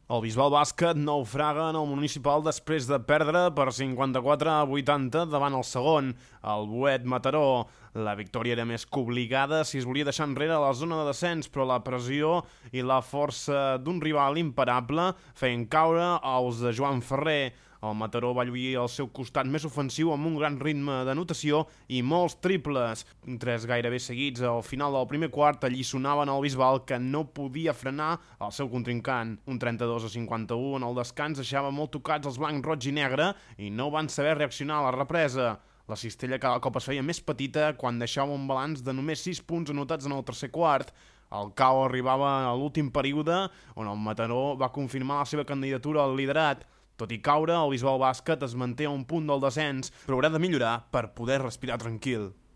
El Bisbal Bàsquet naufraga en el municipal després de perdre per 54-80 davant el segon, el Boet Mataró. La victòria era més que obligada si es volia deixar enrere la zona de descens, però la pressió i la força d'un rival imparable feien caure els de Joan Ferrer. El Mataró va lluir al seu costat més ofensiu amb un gran ritme d'anotació i molts triples. Tres gairebé seguits al final del primer quart alliçonaven el Bisbal, que no podia frenar el seu contrincant. Un 32-51 en el descans deixava molt tocats els blancs, roig i negre i no van saber reaccionar a la represa. La cistella cada cop es feia més petita quan deixava un balanç de només 6 punts anotats en el tercer quart. El cau arribava a l'últim període, on el Mataró va confirmar la seva candidatura al liderat. Tot i caure, el Bisbal Bàsquet es manté a un punt del descens, però haurà de millorar per poder respirar tranquil.